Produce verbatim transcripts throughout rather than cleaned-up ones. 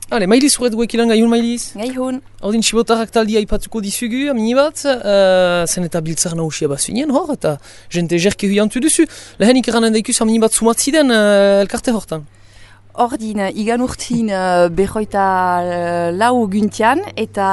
Hale, mailiz horret guekilan gaihun mailiz? Gaihun. Ordin Sibotarrak taldia ipatuko dizugu, amini bat, uh, zen eta biltzar nahusia bazuinen hor, eta jente jerke huiantu duzu. Lehenik eranen daikuz amini bat sumatziden uh, elkarte hortan. Ordin, igan urtin uh, behoita uh, lau guntian eta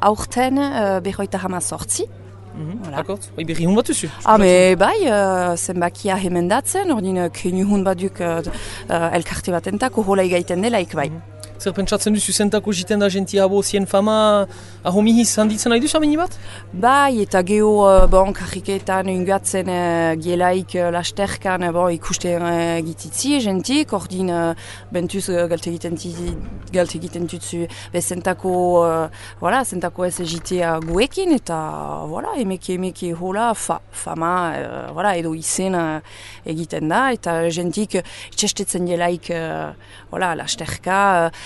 aurten uh, behoita hama sortzi. Mm-hmm. Voilà. Akort, bai berri hun bat duzu? Ah, me bai, uh, zenbakia hemendatzen, ordin, kenu hun baduk uh, uh, elkarte batentako hola igaiten delaik bai. Mm-hmm. Zer pentsatzen duzu zentako jiten da jenti abo zien fama ahomihiz handitzen nahi duzu amini bat? Bai, eta geho uh, bon, karriketan ungatzen uh, gielaik uh, lasterkan uh, bon, ikusten uh, gititzi jentik, ordin uh, bentuz uh, galte egiten tutzu zentako uh, voilà, zentako ez egitea guekin eta voilà, emeke emeke hola fa, fama uh, voilà, edo izen uh, egiten da eta jentik uh, txestetzen gielaik uh, voilà, lasterka uh,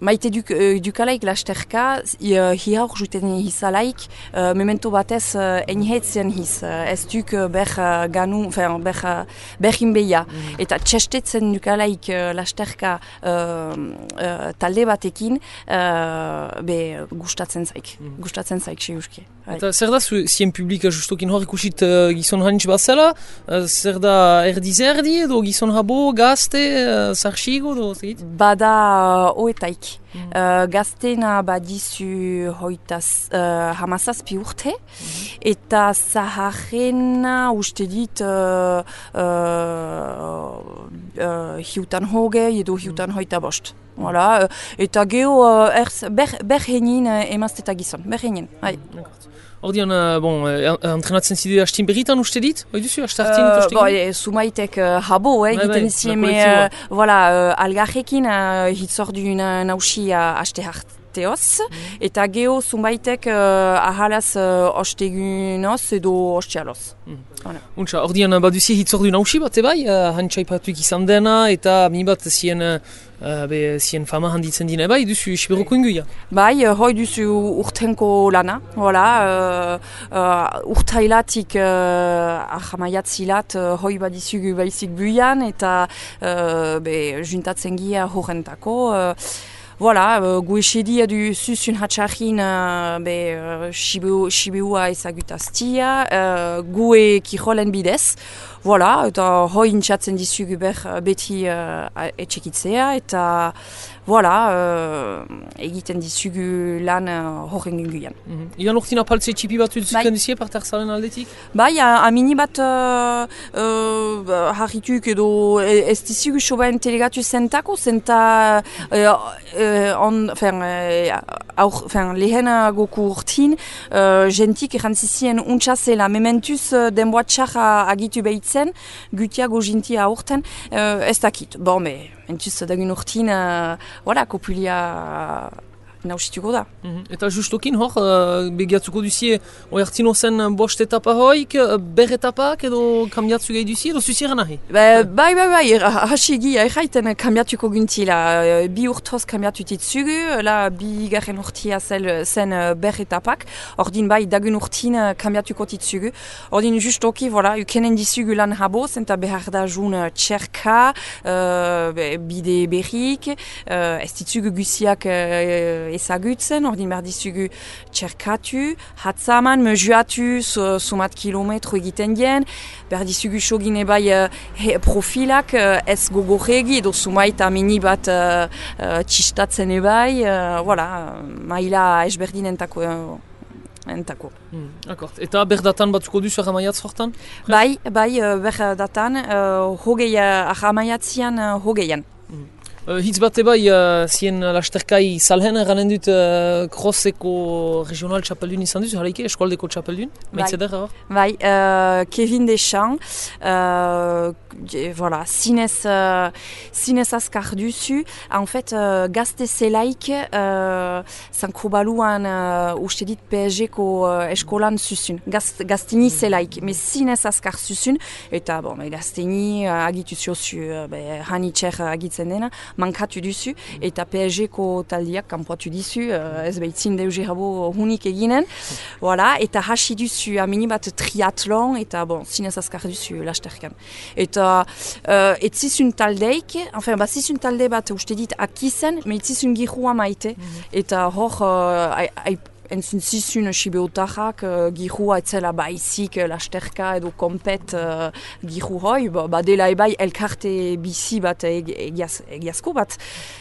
Maite duk, uh, dukalaik lasterka, uh, hiaur juten hizalaik, uh, memento batez uh, enhetzen hiz. Uh, ez duk uh, ber uh, ganu, enfin, ber, uh, berin beia. Mm. Eta txestetzen dukalaik uh, lasterka uh, uh, talde batekin, uh, be gustatzen zaik. Mm. Gustatzen zaik, seuski. Eta zer da zu, zien publika justokin hor ikusit uh, gizon hanitz bazela? Uh, zer da erdi-zerdi edo gizon habo, gazte, uh, zarxigo edo zegit? Bada uh, oetaik. Mm. Uh, gaztena badizu hoitaz uh, hamazazpi urte, mm. eta zaharrena uste dit uh, uh, uh, hiutan hogei edo hiutan mm. hoita bost. Voilà. Eta geho uh, erz, ber, berhenin uh, emazteta gizon, berhenin. Mm. Ordian, uh, bon, uh, entrenatzen zide hastin berritan uste dit? Hoi duzu, hastartin? Uh, bo, e, sumaitek uh, habo, eh, egiten izien, me, uh, voilà, uh, algarrekin uh, hitzordun uh, nausia haste harteoz, mm. eta geho sumaitek uh, ahalaz uh, ostegunoz edo ostealoz. Mm. Voilà. Untsa, ordian baduzi hitzordu nausi bat, ebai, uh, hantxaipatuik izan dena, eta mi bat zien... Uh, Uh, be, zien fama handitzen dina, bai, duzu Siberoko inguia? Bai, hoi duzu urtenko lana, voilà, uh, uh, urtailatik uh, ahamaiatzilat uh, hoi badizugu baizik buian, eta uh, be, juntatzen gia horrentako. Uh, Voilà, uh, gu esedia du zuzun hatxarrin uh, be uh, Sibeua ezagutaztia, uh, gu e kirolen bidez. Voilà, eta hoi intxatzen dizugu ber beti uh, etxekitzea, eta voilà, uh, egiten dizugu lan uh, horren ginguian. Mm-hmm. Igan urtin apaltze txipi bat zuzuken dizie parterzalen aldetik? Bai, amini bat uh, uh, harrituk edo ez dizugu sobaen telegatu zentako, zenta uh, uh, on, fin, uh, aur, fin, lehenagoku urtin, uh, jentik errantzizien untxazela, mementuz uh, denboa txarra agitu behitzen, gutiago jintia aurten, uh, ez dakit. Bon, me, mentuz dagun urtin, uh, voilà, kopulia nausituko da. Mm-hmm. Eta justokin hor, uh, begiatzuko duzie, oi hartzino zen bost etapa hoik, ber etapak edo kambiatzu gehi duzie, edo zuziera nahi? Ba, bai, bai, bai, hasi egia erraiten kambiatuko guntila. Bi urtoz kambiatu titzugu, la bi garen urtia zel, zen ber etapak, ordin bai dagun urtin kambiatuko titzugu. Ordin justoki, voilà, ukenen dizugu lan habo, zenta behar da jun txerka, uh, bide berrik, uh, ez titzugu guziak uh, ezagutzen, ordin behar dizugu txerkatu, hatzaman, mezuatu, sumat kilometro egiten dien, behar dizugu sogine bai uh, he, profilak uh, ez gogorregi, edo sumait amini bat uh, uh, txistatzen ebai, uh, voilà, maila esberdin entako. Uh, entako. Hmm, akort. Eta berdatan batzuko duzu ahamaiatz hortan? Bai, bai, uh, berdatan, uh, hogei, uh, ahamaiatzian uh, hogeian. Hmm. Uh, hitz bat ebai, uh, zien lasterkai salhen eranen dut uh, Crosseko regional txapeldun izan duzu, halaike, eskualdeko txapeldun? Maitzeder, hor? Bai, uh, Kevin Deschamps, uh, voilà, zinez, uh, zinez azkar duzu, en fait, uh, gazte zelaik, uh, zanko baluan, uh, uste dit P S G-ko uh, eskolan zuzun, Gaz, gaztini zelaik, me zinez azkar zuzun, eta, bon, gaztini uh, agitu ziozu, uh, hanitxer agitzen dena, mankatu duzu, eta P S G-ko taldiak kanpoatu dizu, uh, ez behitzin deuze rabo hunik eginen, voilà, eta hasi duzu amini bat triatlon, eta bon, zinez azkar duzu lasterkan. Eta uh, etzizun taldeik, enfin, bazizun talde bat uste dit akizen, me etzizun gihua maite, eta hor, uh, entzun zizun sibeotarrak uh, gihua etzela baizik uh, lasterka edo kompet uh, gihu hoi, ba, dela ebai elkarte bizi bat egiaz, egiazko bat.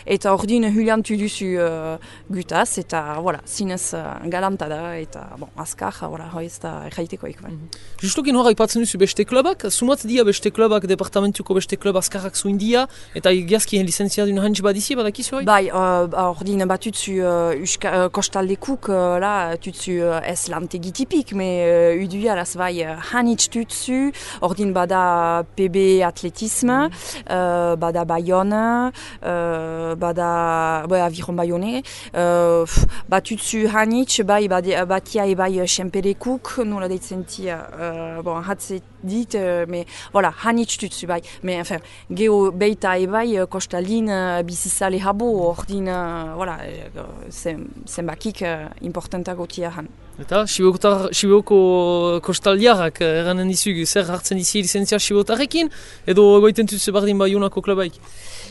Eta ordin huliantu duzu uh, gutaz, eta voilà, zinez uh, galanta da, eta bon, azkar, voilà, hoi ez da erraitekoik. Mm-hmm. Justukin hor aipatzen duzu beste klubak, sumat dia beste klubak, departamentuko beste klub azkarrak zuen dia, eta egiazki licenziadun hantz badizi, badakizu hoi? Bai, uh, ordin batutzu uh, uh, kostaldekuk uh, la tutsu uh, ez lantegitipik, me uh, uduia las bai uh, hanitz tutsu, ordin bada P B atletisme, mm. uh, bada Bayonne, uh, bada ouais, aviron Bayonne, uh, batutsu hanitz, bai bade, batia e bai Xemperekuk, nola deitzen tia, uh, bon, hatze dit, uh, me, voilà, hanitz tutsu bai, me, enfin, geho beita e bai kostalin uh, bizizale habo, ordin, uh, voilà, uh, zenbakik uh, importantago tiahan. Eta, Sibeoko kostaldiarrak eranen dizugu, zer hartzen dizi licentzia Sibeotarrekin, edo goiten tuzu bardin Bayonako klubaik?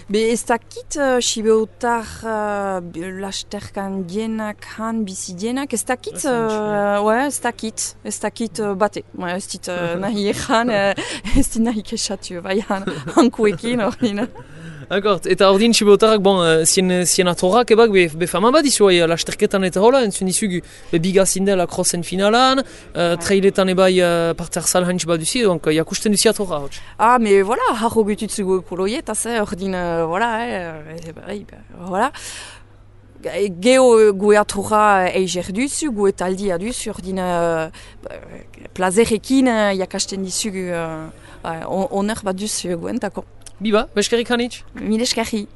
Be ez dakit uh, Sibeotar uh, lasterkan dienak han bizi dienak, ez dakit, uh, ouais, ez dakit, ez dakit uh, bate, ouais, ez dit uh, nahi egan, uh, ez dit nahi kesatu, bai han, hankuekin ordin. D'accord, eta ordin Sibeotarrak, bon, zien, zien atorrak ebak, be, be fama bat izu, bai, lasterketan eta hola, entzun dizugu, be bigazin dela crossen finalan, uh, trailetan ebai uh, parte arzal hantz bat duzi, donc jakusten duzi atorra, hotx. Ah, mais voilà, harro gututzugu ekoloiet, az, ordin, uh, voilà, eh, eh, voilà. Geo gue atorra eiger duzu, gue taldia duzu, ordin, uh, plazerekin uh, jakasten dizugu, uh, uh, oner bat duzu guentako. Biba, beskerik hanitz? Mil eskerri.